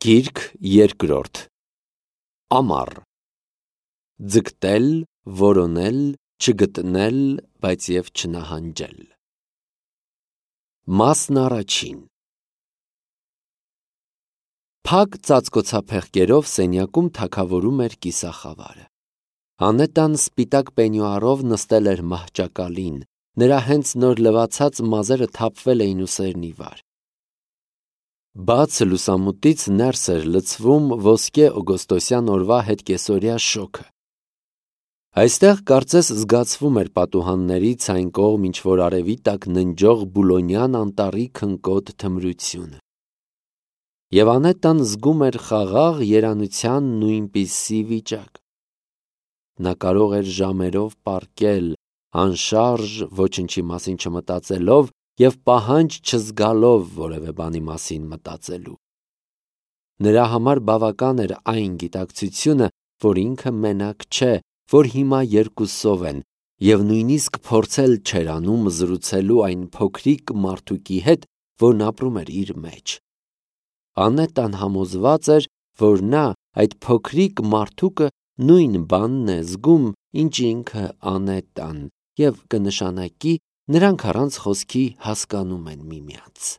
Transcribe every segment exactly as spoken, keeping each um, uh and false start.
Գիրք երկրորդ Ամառ Ձգտել, որոնել, չգտնել, բայց և չնահանջել Մասն առաջին Փակ ծածկոցափեղկերով սենյակում թագավորում էր կիսախավարը։ Անետան սպիտակ պենյուարով նստել էր մահճակալին, նրա հենց նոր լվացած մազերը թափվել էին ուսերն ի վար։ Բաց լուսամուտից ներս էր լցվում ոսկե օգոստոսյան օրվա հետկեսօրյա շոգը։ Այստեղ կարծես զգացվում էր պատուհաններից այն կողմ ինչ-որ արևի տակ ննջող Բուլոնյան անտառի քնկոտ թմրությունը։ Եվ Անետան զգում էր խաղաղ երանության նույնպիսի վիճակ։ Նա կարող էր ժամերով պառկել, անշարժ, ոչնչի մասին չմտածելով և պահանջ չզգալով որևէ բանի մասին մտածելու։ Նրա համար բավական էր այն գիտակցությունը, որ ինքը մենակ չէ, որ հիմա երկուսով են, և նույնիսկ փորձել չէր անում զրուցելու այն փոքրիկ մարդուկի հետ, որն ապրում էր իր մեջ։ Անետան համոզված էր, որ նա, այդ փոքրիկ մարդուկը, նույն բանն է զգում, ինչ ինքը Անետան, և կնշանակի, նրանք առանց խոսքի հասկանում են միմյանց։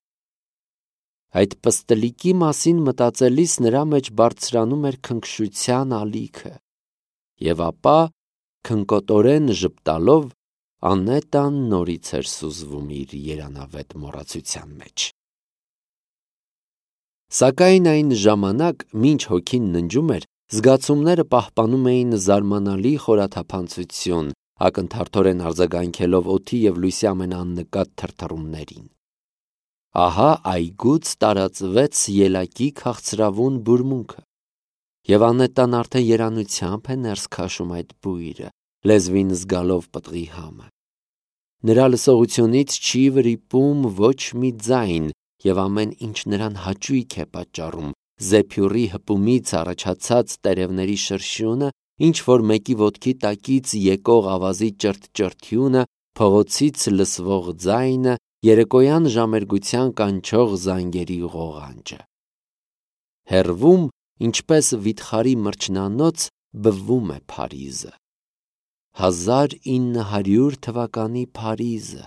Այդ պստլիկի մասին մտածելիս նրա մեջ բարձրանում էր քնքշության ալիքը, և ապա, քնկոտորեն ժպտալով, Անետան նորից էր սուզվում իր երանավետ մոռացության մեջ։ Սակայն այն ժամանակ, մինչ հոգին ննջում էր, զգացումները պահպանում էին զարմանալի խորաթափանցություն, ակնթարթորեն արձագանքելով օդի և լույսի ամենաաննկատ թրթռումներին։ Ահա այգուց տարածվեց ելակի քաղցրավուն բուրմունքը, և Անետան արդեն երանությամբ է ներս քաշում այդ բույրը, լեզվին զգալով պտղի համը։ Նրա լսողությունից չի վրիպում ոչ մի ձայն, և ամեն ինչ նրան հաճույք է պատճառում, զեփյուռի հպումից առաջացած տերևների շրշյունը, ինչ-որ մեկի ոտքի տակից եկող ավազի ճրթճրթյունը, փողոցից լսվող ձայնը, երեկոյան ժամերգության կանչող զանգերի ղողանջը։ Հեռվում, ինչպես վիթխարի մրջնանոց, բվում է Փարիզը։ Հազար ինը հարյուր թվականի Փարիզը,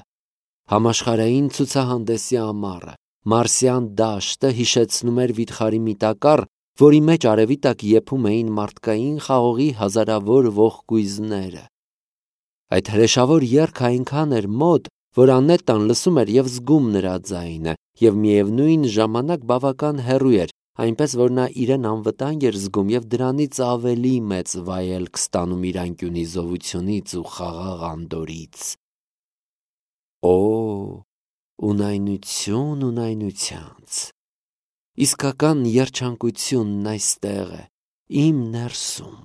համաշխարհային ցուցահանդեսի ամառը, մարսյան դաշտը հիշեցնում էր վիթխարի մի տակառ, որի մեջ արևի տակ եփում էին մարդկային խաղողի հազարավոր ողկույզները։ Այդ հրեշավոր եռքը այնքան էր մոտ, որ Անետան լսում էր և զգում նրա ձայնը, և միևնույն ժամանակ բավական հեռու էր, այնպես որ նա իրեն անվտանգ էր զգում և դրանից ավելի մեծ վայելք ստանում իր անկյունի զովությունից ու խաղաղ անդորրից։ Օ, ունայնություն ունայնությանց, իսկական երջանկությունն այստեղ է, իմ ներսում։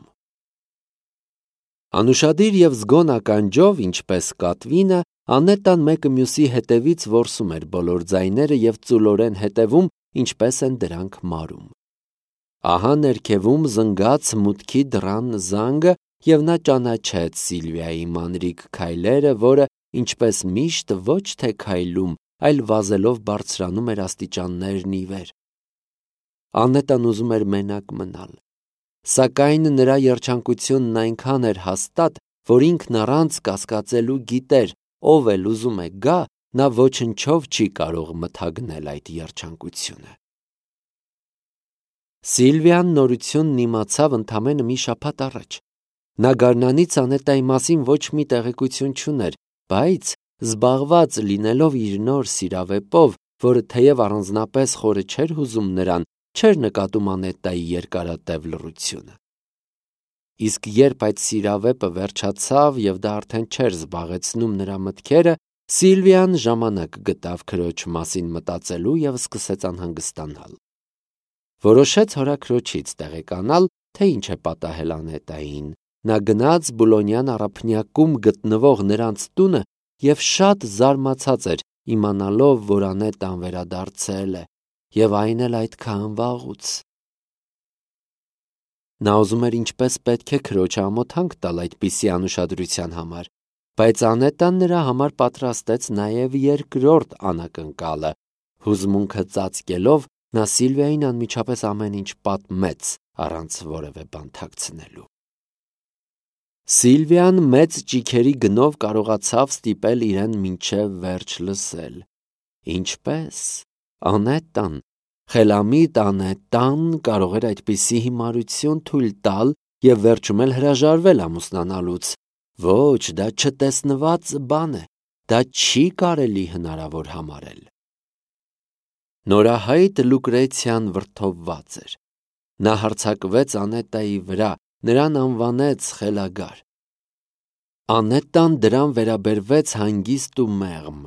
Անուշադիր և զգոն ականջով, ինչպես կատվինը, Անետան մեկը մյուսի հետևից որսում էր բոլոր ձայները և ծուլորեն հետևում, ինչպես են դրանք մարում։ Ահա ներքևում զնգաց մուտքի դռան զանգը, և նա ճանաչեց Սիլվիայի մանրիկ քայլերը, որը, ինչպես միշտ, ոչ թե քայլում, այլ վազելով բարձրանում էր աստիճաններն ի վեր։ Անետան ուզում էր մենակ մնալ, սակայն նրա երջանկությունն այնքան էր հաստատ, որ ինքն առանց կասկածելու գիտեր, ով էլ ուզում է գա, նա ոչնչով չի կարող մթագնել այդ երջանկությունը։ Սիլվիան նորությունն իմացավ ընդամենը մի շաբաթ առաջ։ Նա գարնանից Անետայի մասին ոչ մի տեղեկություն չուներ, բայց, զբաղված լինելով իր նոր սիրավեպով, որը թեև առանձնապես խորը չէր հուզում նրան, չէր նկատում Անետայի երկարատև լռությունը։ Իսկ երբ այդ սիրավեպը վերջացավ և դա արդեն չէր զբաղեցնում նրա մտքերը, Սիլվիան ժամանակ գտավ քրոջ մասին մտածելու և սկսեց անհանգստանալ։ Որոշեց հորաքրոջից տեղեկանալ, թե ինչ է պատահել Անետային։ Նա գնաց Բուլոնյան առափնյակում գտնվող նրանց տունը և շատ զարմացած էր, իմանալով, որ Անետան վերադարձել է, և այն էլ այդքան վաղուց։ Նա ուզում էր ինչպես պետք է քրոջը ամոթանք տալ այդպիսի անուշադրության համար, բայց Անետան նրա համար պատրաստեց նաև երկրորդ անակնկալը, հուզմունքը ծածկելով, Նա Սիլվիային անմիջապես ամեն ինչ պատմեց, առանց որևէ բան թաքցնելու։ Սիլվիան մեծ ճիգերի գնով կարողացավ ստիպել իրեն մինչև վերջ լսել։ Ինչպես Անետտան, խելամիտ Անետտան կարող էր այդպիսի հիմարություն թույլ տալ և վերջում էլ հրաժարվել ամուսնանալուց։ Ոչ, դա չտեսնված բան է, դա չի կարելի հնարավոր համարել։ Նորահայտ Լուկրեցիան վրդովված էր։ Նա հարձակվեց Անետտայի վրա, նրան անվանեց խելագար։ Անետտան դրան վերաբերվեց հանգիստ ու մեղմ։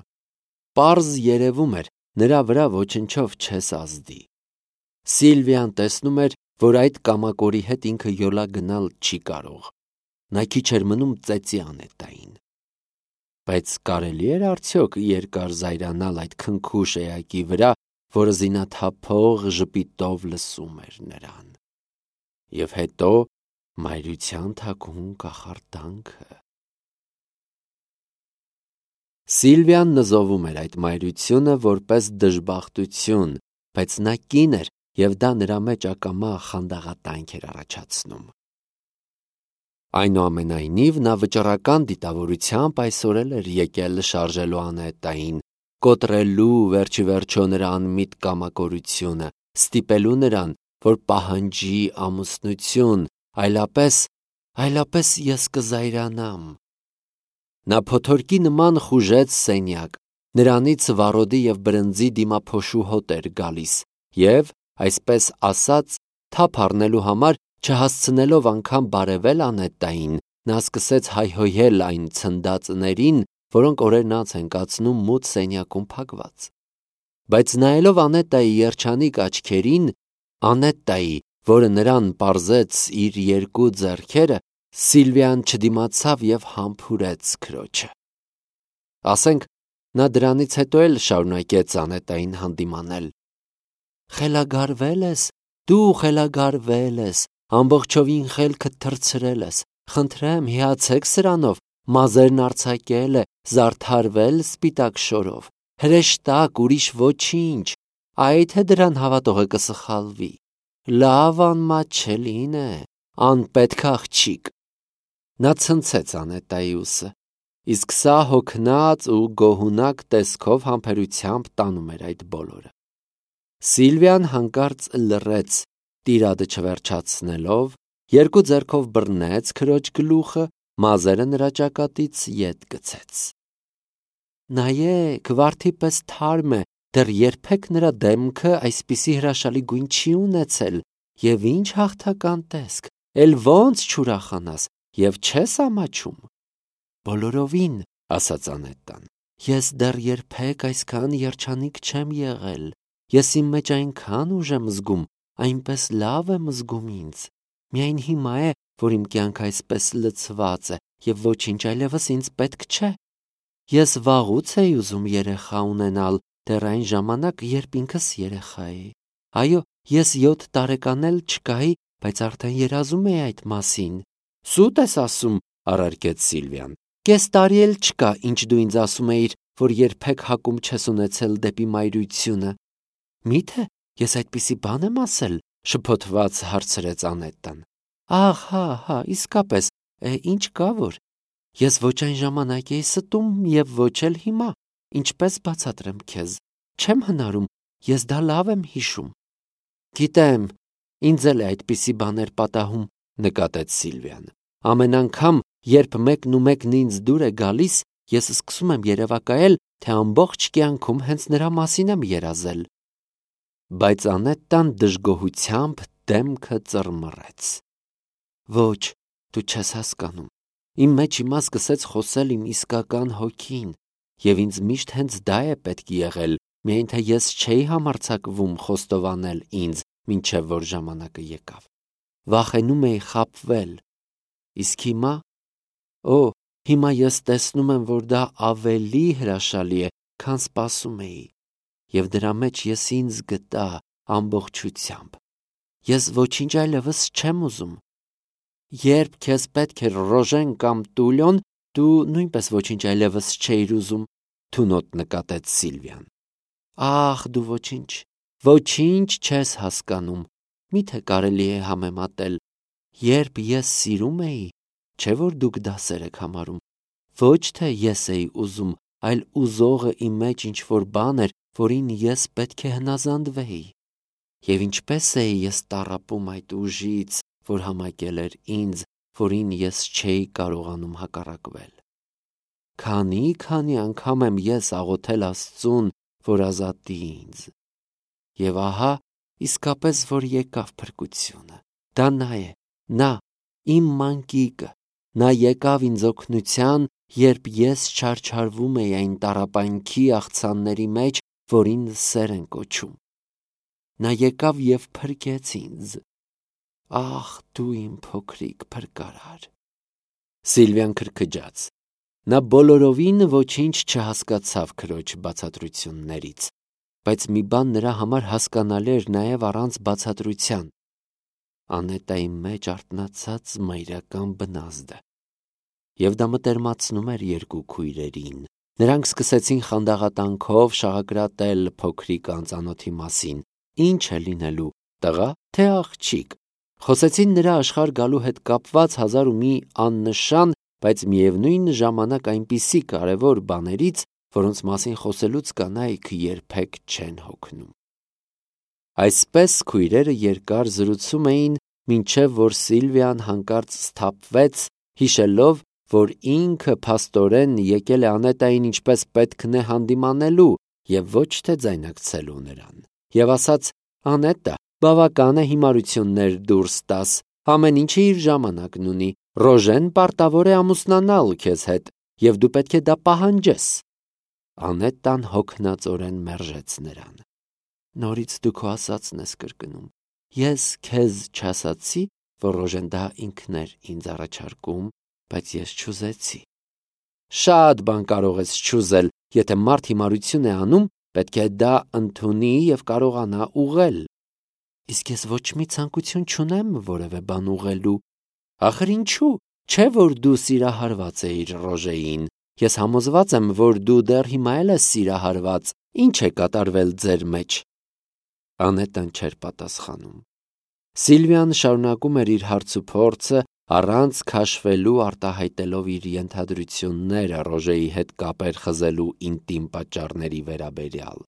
Պարզ երևում էր, նրա վրա ոչնչով չես ազդի։ Սիլվիան տեսնում էր, որ այդ կամակորի հետ ինքը յոլա գնալ չի կարող։ Նա քիչ էր մնում ծեծի Անետտային։ Բայց կարելի էր արդյոք երկար զայրանալ այդ քնքուշ էակի վրա, որը զինաթափող ժպիտով լսում էր նրան։ Եվ հետո մայրության թաքուն կախարդանքը։ Սիլվիան նզովում էր այդ մայրությունը որպես դժբախտություն, բայց նա կին էր, և դա նրա մեջ ակամա խանդաղատանք էր առաջացնում։ Այնուամենայնիվ, նա վճռական դիտավորությամբ այսօր էլ էր եկել շարժելու Անետտային, կոտրելու վերջիվերջո նրա անմիտ կամակորությունը, ստիպելու նրան, որ պահանջի ամուսնություն, այլապես, այլապես ես կզայրանամ։ Նա փոթորկի նման խուժեց սենյակ, նրանից վառոդի և բրնձի դիմափոշու հոտ էր գալիս, և, այսպես ասած, թափ առնելու համար, չհասցնելով անգամ բարևել Անետտային, նա սկսեց հայհոյել այն ցնդածներին, որոնք օրերն անց են կացնում մութ սենյակում փակված։ Բայց նայելով Անետտայի երջանիկ աչքերին, Անետտայի, որը նրան պարզեց իր երկու ձեռքերը, Սիլվիան չդիմացավ և համբուրեց քրոջը։ Ասենք, նա դրանից հետո էլ շարունակեց Անետտային հանդիմանել։ Խելագարվել ես, դու խելագարվել ես, ամբողջովին խելքդ թռցրել ես, խնդրեմ, հիացեք սրանով, մազերն արձակել է, զարդարվել սպիտակ շորով, հրեշտակ, ուրիշ ոչինչ, այ թե դրան հավատողը կսխալվի, լավ անմատչելին է, անպետք աղջիկ։ Նա ցնցեց Անետտայի ուսը, իսկ սա հոգնած ու գոհունակ տեսքով համբերությամբ տանում էր այդ բոլորը։ Սիլվիան հանկարծ լռեց, տիրադը չվերջացնելով, երկու ձեռքով բռնեց քրոջ գլուխը, մազերը նրա ճակատից ետ գցեց։ Նայեք, վարդի պես թարմ է, դեռ երբեք նրա դեմքը այսպիսի հրաշալի գույն չի ունեցել, և ինչ հաղթական տեսք, էլ ոնց չուրախանաս, և չես ամաչում։ Բոլորովին, ասաց Անետտան, ես դեռ երբեք այսքան երջանիկ չեմ եղել, ես իմ մեջ այնքան ուժ եմ զգում, այնպես լավ եմ զգում ինձ, միայն հիմա է, որ իմ կյանքը այսպես լցված է, և ոչինչ այլևս ինձ պետք չէ։ Ես վաղուց էի ուզում երեխա ունենալ, դեռ այն ժամանակ, երբ ինքս երեխա էի։ Այո, ես յոթ տարեկան էլ չկայի, բայց արդեն երազում էի այդ մասին։ Սուտ ես ասում, առարկեց Սիլվիան, կես տարի էլ չկա, ինչ դու ինձ ասում էիր, որ երբեք հակում չես ունեցել դեպի մայրությունը։ Մի՞թե ես այդպիսի բան եմ ասել, շփոթված հարցրեց Անետտան։ Ահ, հա, հա, իսկապես, է, ինչ կա որ։ Ես ոչ այն ժամանակ էի ստում և ոչ էլ հիմա, ինչպես բացատրեմ քեզ, չեմ հնարում, ես դա լավ եմ հիշում։ Գիտեմ, ինձ էլ է այդպիսի բաներ պատահում, նկատեց Սիլվիան։ Ամեն անգամ, երբ մեկն ու մեկն ինձ դուր է գալիս, ես սկսում եմ երևակայել, թե ամբողջ կյանքում հենց նրա մասին եմ երազել։ Բայց Անետտան դժգոհությամբ դեմքը ծռմռեց։ Ոչ, դու չես հասկանում։ Իմ մեջ հիմա սկսեց խոսել իմ իսկական հոգին, և ինձ միշտ հենց դա է պետք եղել, միայն թե ես չէի համարձակվում խոստովանել ինձ, մինչև որ ժամանակը եկավ։ Վախենում էի խաբվել։ Իսկ հիմա, օ, հիմա ես տեսնում եմ, որ դա ավելի հրաշալի է, քան սպասում էի, և դրա մեջ ես ինձ գտա ամբողջությամբ։ Ես ոչինչ այլևս չեմ ուզում։ Երբ քեզ պետք էր Ռոժեն կամ Տուլյոն, դու նույնպես ոչինչ այլևս չէիր ուզում, թունոտ նկատեց Սիլվիան։ Ախ, դու ոչինչ, Ոչինչ չես հասկանում, միթե կարելի է համեմատել, երբ ես սիրում էի, չէ որ դուք դասեր եք համարում, ոչ թե ես էի ուզում, այլ ուզողը իմ մեջ ինչ-որ բան էր, որին ես պետք է հնազանդվեի, և ինչպես էի ես տառապում այդ ուժից, որ համակել էր ինձ, որին ես չէի կարողանում հակառակվել։ Քանի՜-քանի անգամ եմ ես աղոթել Աստծուն, որ ազատի ինձ։ Եվ ահա, իսկապես որ եկավ փրկությունը, դա նա է, նա, իմ մանկիկը, նա եկավ ինձ օգնության, երբ ես չարչարվում էի այն տառապանքի աղցանների մեջ, որին սեր են կոչում։ Նա եկավ և փրկեց ինձ։ Ախ, դու իմ փոքրիկ փրկարար։ Սիլվիան քրքջաց։ Նա բոլորովին ոչինչ չհասկացավ քրոջ բացատրություններից, բայց մի բան նրա համար հասկանալի էր նաև առանց բացատրության. Անետայի մեջ արթնացած մայրական բնազդը։ Եվ դա մտերմացնում էր երկու քույրերին։ Նրանք սկսեցին խանդաղատանքով շաղակրատել փոքրիկ անծանոթի մասին. Ինչ է լինելու, տղա, թե աղջիկ։ Խոսեցին նրա աշխարհ գալու հետ կապված հազար ու մի աննշան, բայց միևնույն ժամանակ այնպիսի կարևոր բաներից, որոնց մասին խոսելուց կանայք երբեք չեն հոգնում։ Այսպես քույրերը երկար զրուցում էին, մինչև որ Սիլվիան հանկարծ սթափվեց, հիշելով, որ ինքը փաստորեն եկել է Անետային ինչպես պետքն է հանդիմանելու և ոչ թե ձայնակցելու նրան, և ասաց. Անետա, բավական է հիմարություններ դուրս տաս, ամեն ինչը իր ժամանակն ունի, Ռոժեն պարտավոր է ամուսնանալ քեզ հետ, և դու պետք է դա պահանջես։ Անետան հոգնածորեն մերժեց նրան։ Նորից դու քո ասածն ես կրկնում։ Ես քեզ չասացի, որ Ռոժեն դա ինքն էր ինձ առաջարկում, բայց ես չուզեցի։ Շատ բան կարող ես չուզել, եթե մարդ հիմարություն է անում, պետք է դա ընդունի և կարողանա ուղղել։ Իսկ ես ոչ մի ցանկություն չունեմ որևէ բան ուղղելու։ Ախր ինչու՞, չէ որ դու սիրահարված էիր Ռոժեին։ Ես համոզված եմ, որ դու դեռ հիմա էլ ես սիրահարված։ Ինչ է կատարվել ձեր մեջ։ Անետան չէր պատասխանում։ Սիլվիան շարունակում էր իր հարցուփորձը, առանց քաշվելու արտահայտելով իր ենթադրությունները Ռոժեի հետ կապեր խզելու ինտիմ պատճառների վերաբերյալ։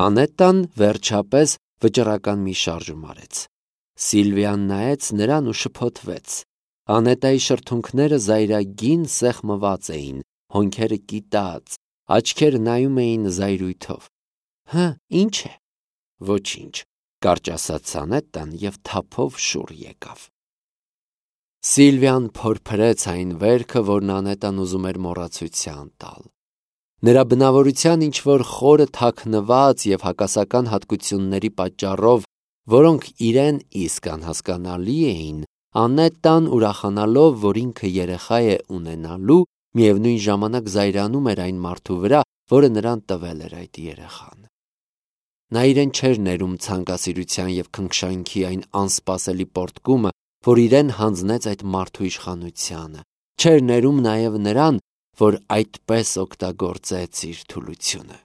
Անետան վերջապես վճռական մի շարժում արեց։ Սիլվիան նայեց նրան ու շփոթվեց։ Անետայի շրթունքները զայրագին սեղմված էին, հոնքերը կիտած, աչքերը նայում էին զայրույթով։ Հը, ինչ է։ Ոչինչ, կարճ ասաց Անետան և թափով շուռ եկավ։ Սիլվիան փորփրեց այն վերքը, որն Անետան ուզում էր մոռացության տալ։ Նրա բնավորության ինչ-որ խորը թաքնված և հակասական հատկությունների պատճառով, որոնք իրեն իսկ անհասկանալի էին, Անետան ուրախանալով, որ ինքը երեխա է ունենալու, միևնույն ժամանակ զայրանում էր այն մարդու վրա, որը նրան տվել էր այդ երեխան։ Նա իրեն չէր ներում ցանկասիրության և քնքշանքի այն անսպասելի պոռթկումը, որ իրեն հանձնեց այդ մարդու իշխանությանը, չէր ներում նաև նրան, որ այդպես օգտագործեց իր թուլությունը։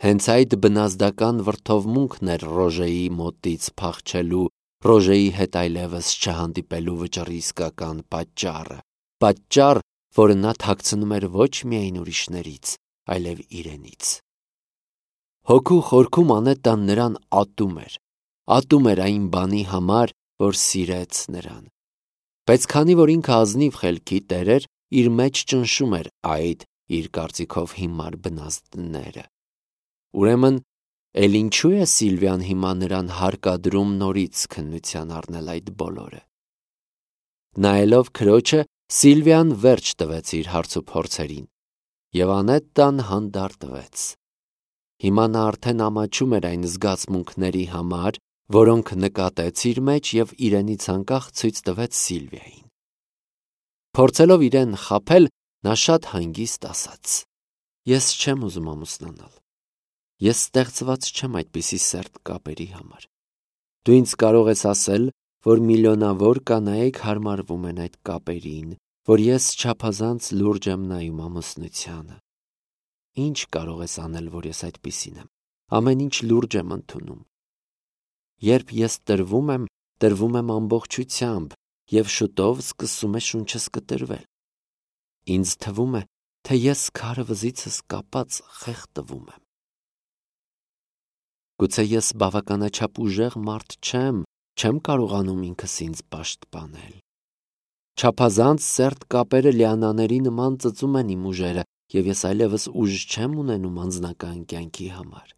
Հենց այդ բնազդական վրդովմունքն էր Ռոժեի մոտից փախչելու, Ռոժեի հետ այլևս չհանդիպելու վճռի իսկական պատճառը, պատճառ, որը նա թաքցնում էր ոչ միայն ուրիշներից, այլև իրենից։ Հոգու խորքում Անետան նրան ատում էր, ատում էր այն բանի համար, որ սիրեց նրան։ Բայց քանի որ ինքը ազնիվ խելքի տեր էր, իր մեջ ճնշում էր այդ իր կարծիքով հիմար բնազդները։ Ուրեմն, էլ ինչու է Սիլվիան հիմա նրան հարկադրում նորից քննության առնել այդ բոլորը։ Նայելով քրոջը, Սիլվիան վերջ տվեց իր հարցուփորձերին, և Անետան հանդարտվեց։ Հիմա նա արդեն ամաչում էր այն զգացմունքների համար, որոնք նկատեց իր մեջ և իրենից անկախ ցույց տվեց Սիլվիային։ Փորձելով իրեն խաբել, նա շատ հանգիստ ասաց. Ես չեմ ուզում ամուսնանալ։ Ես ստեղծված չեմ այդպիսի սերտ կապերի համար։ Դու ինձ կարող ես ասել, որ միլիոնավոր կանայք հարմարվում են այդ կապերին, որ ես չափազանց լուրջ եմ նայում ամուսնությանը։ Ինչ կարող ես անել, որ ես այդպիսին եմ։ ամեն ինչ լուրջ եմ ընդունում։ Երբ ես տրվում եմ, տրվում եմ ամբողջությամբ, և շուտով սկսում է շունչս կտրվել։ Ինձ թվում է, թե ես քարը վզիցս կապած խեղդվում եմ։ Գուցե ես բավականաչափ ուժեղ մարդ չեմ, չեմ կարողանում ինքս ինձ պաշտպանել։ Չափազանց սերտ կապերը լիանաների նման ծծում են իմ ուժերը, և ես այլևս ուժ չեմ ունենում անձնական կյանքի համար։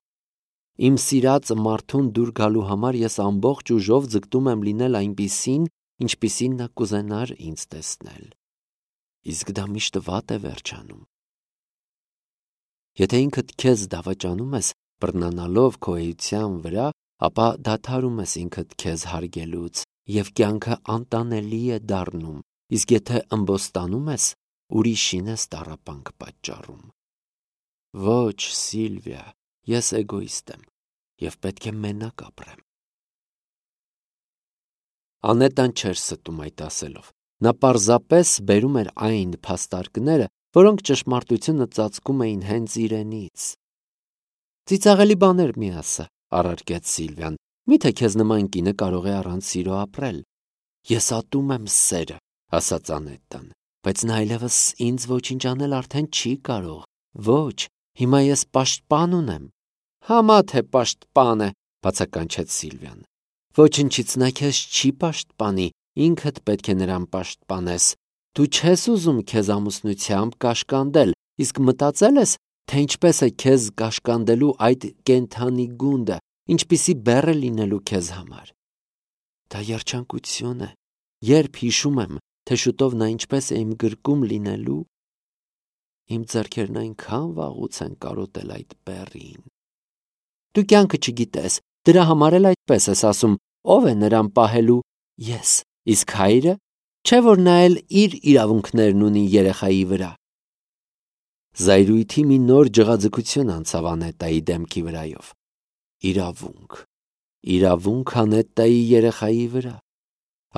Իմ սիրած մարդուն դուր գալու համար ես ամբողջ ուժով ձգտում եմ լինել այնպիսին, ինչպիսին նա կուզենար ինձ տեսնել։ Իսկ դա միշտ վատ է վերջանում։ Եթե ինքդ քեզ դավաճանում ես, բռնանալով քո էության վրա, ապա դադարում ես ինքդ քեզ հարգելուց, և կյանքը անտանելի է դառնում, իսկ եթե ըմբոստանում ես, ուրիշին ես տառապանք պատճառում։ Ոչ, Սիլվիա, ես էգոիստ եմ և պետք է մենակ ապրեմ։ Անետան չէր ստում այդ ասելով։ Նա պարզապես բերում էր այն փաստարկները, որոնք ճշմարտությունը ծածկում էին հենց իրենից։ Ծիծաղելի բաներ մի ասա, առարկեց Սիլվիան, միթե քեզ նման կինը կարող է առանց սիրո ապրել։ Ես ատում եմ սերը, ասաց Անետան, բայց նա այլևս ինձ ոչինչ անել արդեն չի կարող։ Ոչ, հիմա ես պաշտպան ունեմ։ Համա թե պաշտպան է, բացականչեց Սիլվիան։ Ոչնչից նա քեզ չի պաշտպանի, ինքդ պետք է նրան պաշտպանես։ Դու չես ուզում քեզ ամուսնությամբ կաշկանդել, իսկ մտածել ես, թե ինչպես է քեզ կաշկանդելու այդ կենդանի գունդը, ինչպիսի բեռ է լինելու քեզ համար։ Դա երջանկություն է, երբ հիշում եմ, թե շուտով նա ինչպես է իմ գրկում լինելու, իմ ձեռքերն այնքան վաղուց են կարոտել այդ բեռին։ Դու կյանքը չգիտես, դրա համար էլ այդպես ես ասում, ով է նրան պահելու։ Ես, իսկ հայրը, չէ՞ որ նա էլ իր իրավունքներն ունի երեխայի վրա։ Զայրույթի մի նոր ջղաձգություն անցավ Անետայի դեմքի վրայով։ Իրավունք, իրավունք Անետայի երեխայի վրա։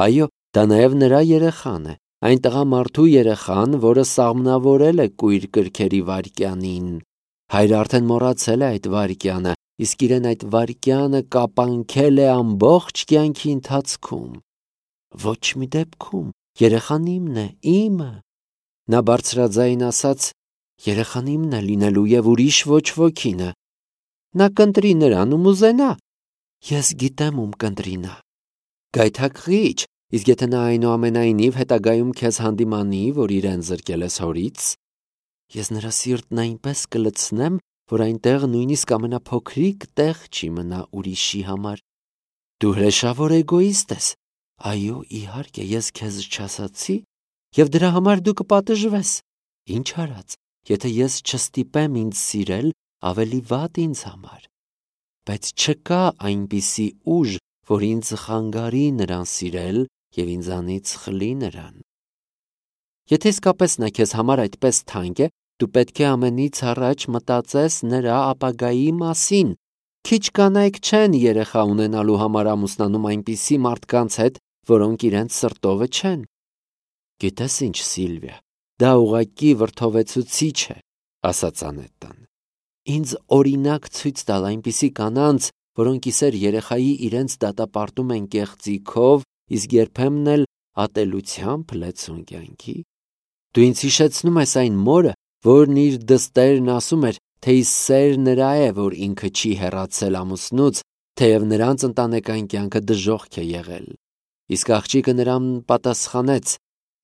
Այո, դա նաև նրա երեխան է, այն տղամարդու երեխան, որը սաղմնավորել է կույր կրքերի վայրկյանին։ Հայրը արդեն մոռացել է այդ վայրկյանը, իսկ իրեն այդ վայրկյանը կապանքել է ամբողջ կյանքի ընթացքում։ Ոչ մի դեպքում, երեխան իմն է, իմը։ Նա բարձրաձայն ասաց, երեխան իմն է լինելու և ուրիշ ոչ ոքինը։ Նա կընտրի նրան ում ուզենա։ Ես գիտեմ ում կընտրի նա։ Գայթակղիչ, իսկ եթե նա այնուամենայնիվ հետագայում քեզ հանդիմանի, որ իրեն զրկել ես հորից, ես նրա սիրտն այնպես կլցնեմ, որ այնտեղ նույնիսկ ամենափոքրիկ տեղ չի մնա ուրիշի համար։ Դու հրեշավոր էգոիստ ես։ Այո, իհարկե, ես քեզ չասացի, և դրա համար դու կպատժվես։ Ինչ արած, եթե ես չստիպեմ ինձ սիրել, ավելի վատ ինձ համար։ Բայց չկա այնպիսի ուժ, որ ինձ խանգարի նրան սիրել և ինձանից խլի նրան։ Եթե իսկապես նա քեզ համար այդպես թանկ է, դու պետք է ամենից առաջ մտածես նրա ապագայի մասին։ Քիչ կանայք չեն երեխա ունենալու համար ամուսնանում այնպիսի մարդկանց հետ, որոնք իրենց սրտովը չեն։ Գիտես ինչ, Սիլվիա, դա ուղղակի վրդովեցուցիչ է, ասաց Անետան։ Ինձ օրինակ ցույց տալ այնպիսի կանանց, որոնք իսեր երեխայի իրենց դատապարտում են կեղծիքով, իսկ երբեմն էլ ատելությամբ լեցուն կյանքի։ Դու ինձ հիշեցնում ես այն մորը, որն իր դստերն ասում էր, թե ի սեր նրա է, որ ինքը չի հեռացել ամուսնուց, թեև նրանց ընտանեկան կյանքը դժոխք է եղել։ Իսկ աղջիկը նրան պատասխանեց.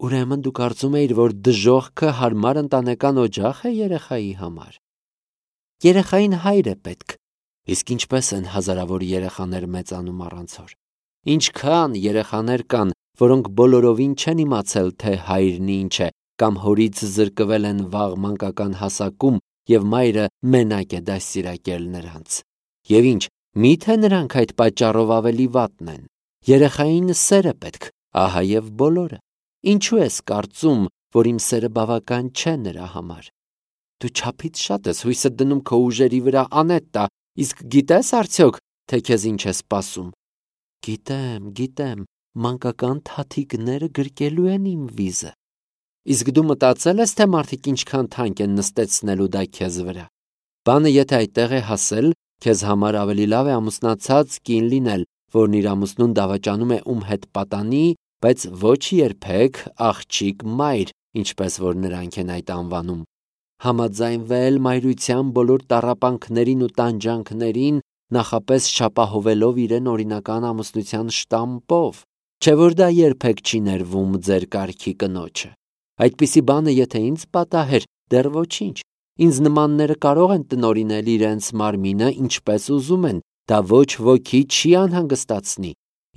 ուրեմն դու կարծում էիր, որ դժոխքը հարմար ընտանեկան օջախ է երեխայի համար։ Երեխային հայր է պետք, իսկ ինչպես են հազարավոր երեխաներ մեծանում առանց հոր։ Ինչքան երեխաներ կան, որոնք բոլորովին չեն իմացել, թե հայրն ինչ է, կամ հորից զրկվել են վաղ մանկական հասակում, և մայրը մենակ է դաստիարակել նրանց։ Եվ ինչ, միթե նրանք այդ պատճառով ավելի վատն են։ Երեխային սեր է պետք, ահա և բոլորը։ Ինչու ես կարծում, որ իմ սերը բավական չէ նրա համար։ Դու չափից շատ ես հույսդ դնում քո ուժերի վրա, Անետտա, իսկ գիտես արդյոք, թե քեզ ինչ է սպասում։ Գիտեմ, գիտեմ, մանկական թաթիկները գրկելու են իմ վիզը։ Իսկ դու մտածել ես, թե մարդիկ ինչքան թանկ են նստեցնելու դա քեզ վրա։ Բանը եթե այդտեղ է հասել, Քեզ համար ավելի լավ է ամուսնացած կին լինել, որն իր ամուսնուն դավաճանում է ում հետ պատանի, բայց ոչ երբեք աղջիկ մայր, ինչպես որ նրանք են այդ անվանում։ Համաձայնվել մայրության բոլոր տառապանքներին ու տանջանքներին, նախապես չապահովելով իրեն օրինական ամուսնության շտամպով, չէ որ դա երբեք չի ներվում ձեր կարգի կնոջը։ Այդպիսի բանը եթե ինձ պատահեր, դեռ ոչինչ։ Ինձ նմանները կարող են տնօրինել իրենց մարմինը ինչպես ուզում են, դա ոչ ոքի չի անհանգստացնի,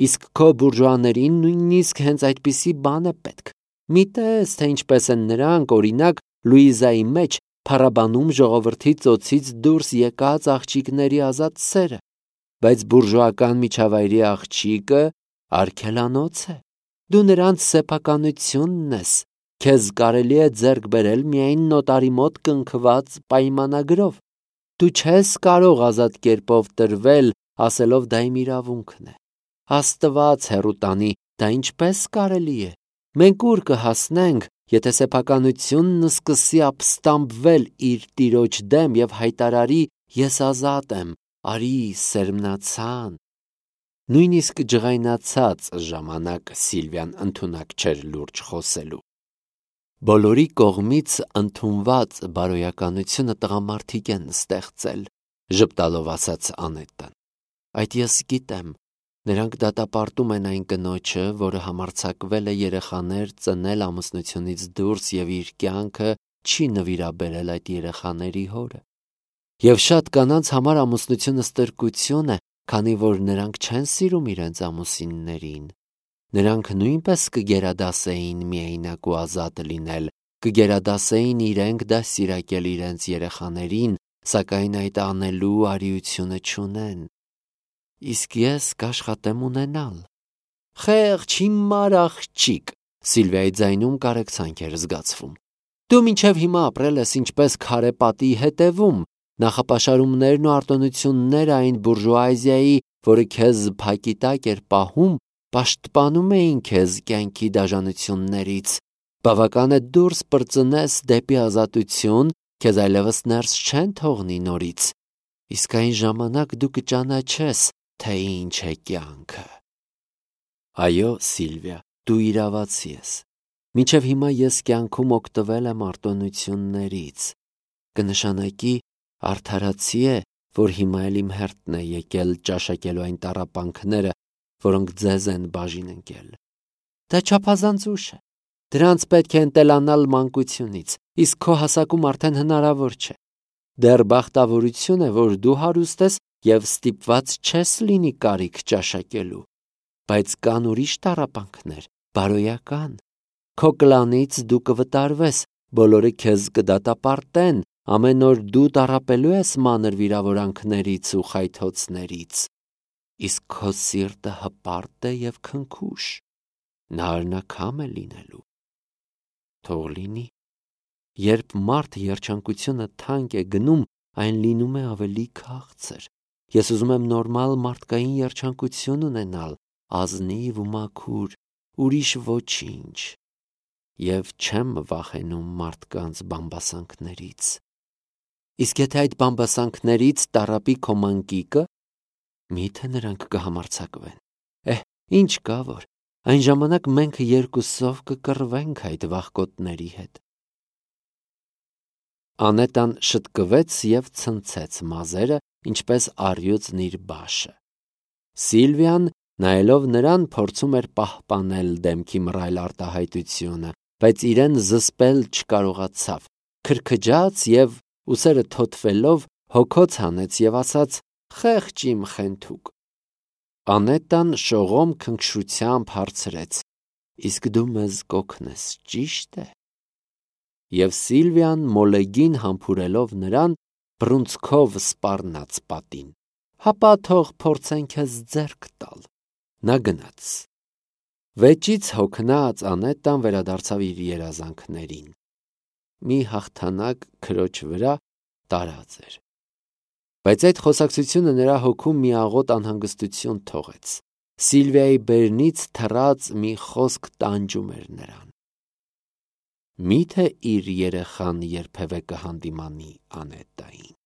իսկ քո բուրժուաներին նույնիսկ հենց այդպիսի բան է պետք։ Մի տես, թե ինչպես են նրանք, օրինակ, Լուիզայի մեջ փառաբանում ժողովրդի ծոցից դուրս եկած աղջիկների ազատ սերը, բայց բուրժուական միջավայրի աղջիկը արգելանոց է։ Դու նրանց սեփականությունն ես, քեզ կարելի է ձեռք բերել միայն նոտարի մոտ կնքված պայմանագրով։ Դու չես կարող ազատ կերպով տրվել, ասելով դա իմ իրավունքն է։ Աստված հեռու տանի, դա ինչպես կարելի է։ Մենք ուր կհասնենք, եթե սեփականությունն սկսի ապստամբվել իր տիրոջ դեմ եւ հայտարարի ես ազատ եմ, արի սերմնացան։ Նույնիսկ ջղայնացած ժամանակ Սիլվիան ընդունակ չէր լուրջ խոսելու։ Բոլորի կողմից ընդունված բարոյականությունը տղամարդիկ են ստեղծել, ժպտալով ասաց Անետան։ Այդ ես գիտեմ, նրանք դատապարտում են այն կնոջը, որը համարձակվել է երեխաներ ծնել ամուսնությունից դուրս եւ իր կյանքը չի նվիրաբերել այդ երեխաների հորը։ Եվ շատ կանանց համար ամուսնությունը ստրկություն է, քանի որ նրանք չեն սիրում իրենց ամուսիններին։ Նրանք նույնպես կգերադասեին միայնակ ու ազատ լինել, կգերադասեին իրենք դաստիարակել իրենց երեխաներին, սակայն այդ անելու արիությունը չունեն։ Իսկ ես կաշխատեմ ունենալ։ Խեղճ հիմար աղջիկ, Սիլվիայի ձայնում կարեկցանք էր զգացվում։ Դու մինչև հիմա ապրել ես ինչպես քարե պատի հետևում, նախապաշարումներն ու արտոնությունները այն բուրժուազիայի, որը քեզ փակի տակ էր պահում, պաշտպանում էին քեզ կյանքի դաժանություններից։ Բավական է դուրս պրծնես դեպի ազատություն, քեզ այլևս ներս չեն թողնի նորից։ Իսկ այն ժամանակ դու կճանաչես, թե ինչ է կյանքը։ Այո, Սիլվիա, դու իրավացի ես։ Մինչև հիմա ես կյանքում օգտվել եմ արտոնություններից։ Կնշանակի արդարացի է, որ հիմա էլ իմ հերթն է եկել ճաշակելու այն տառապանքները, որոնք ձեզ են բաժին ընկել։ Դա չափազանց ուշ է։ Դրանց պետք է ընտելանալ մանկությունից, իսկ քո հասակում արդեն հնարավոր չէ։ Դեռ բախտավորություն է, որ դու հարուստ ես եւ ստիպված չես լինի կարիք ճաշակելու։ Բայց կան ուրիշ տառապանքներ, բարոյական։ Քո կլանից դու կվտարվես, բոլորը քեզ կդատապարտեն, ամեն օր դու տառապելու ես մանր վիրավորանքներից ու խայթոցներից։ Իսկ քո սիրտը հպարտ է եւ քնքուշ, նա արնակամ է լինելու։ Թող լինի։ Երբ մարդ երջանկությունը թանկ է գնում, այն լինում է ավելի քաղցր։ Ես ուզում եմ նորմալ մարդկային երջանկություն ունենալ, ազնիվ ու մաքուր, ուրիշ ոչինչ։ Եվ չեմ վախենում մարդկանց բամբասանքներից։ Իսկ եթե այդ բամբասանքներից տառապի քո մանկիկը, միթե նրանք կհամարձակվեն։ Էհ, ինչ կա որ, այն ժամանակ մենք երկուսով կկռվենք այդ վախկոտների հետ։ Անետան շտկվեց եւ ցնցեց մազերը, ինչպես առյուծն իր բաշը։ Սիլվիան, նայելով նրան, փորձում էր պահպանել դեմքի մռայլ արտահայտությունը, բայց իրեն զսպել չկարողացավ, քրքջաց եւ ուսերը թոթվելով հոգոց հանեց եւ ասաց. «Խեղճ իմ խենթուկ»։ Անետան շողոմ քնքշությամբ հարցրեց. «Իսկ դու մեզ կօգնես, ճի՞շտ է»։ Եվ Սիլվիան մոլեգին համբուրելով նրան, բռունցքով սպառնաց պատին։ «Հապա թող փորձեն քեզ ձեռք տալ»։ Նա գնաց։ Վեճից հոգնած Անետան վերադարձավ իր երազանքներին։ Մի հաղթանակ քրոջ վրա տարած էր։ Բայց այդ խոսակցությունը նրա հոգում մի աղոտ անհանգստություն թողեց։ Սիլվիայի բերնից թռած մի խոսք տանջում էր նրան։ Միթե իր երեխան երբևէ կհանդիմանի Անետային։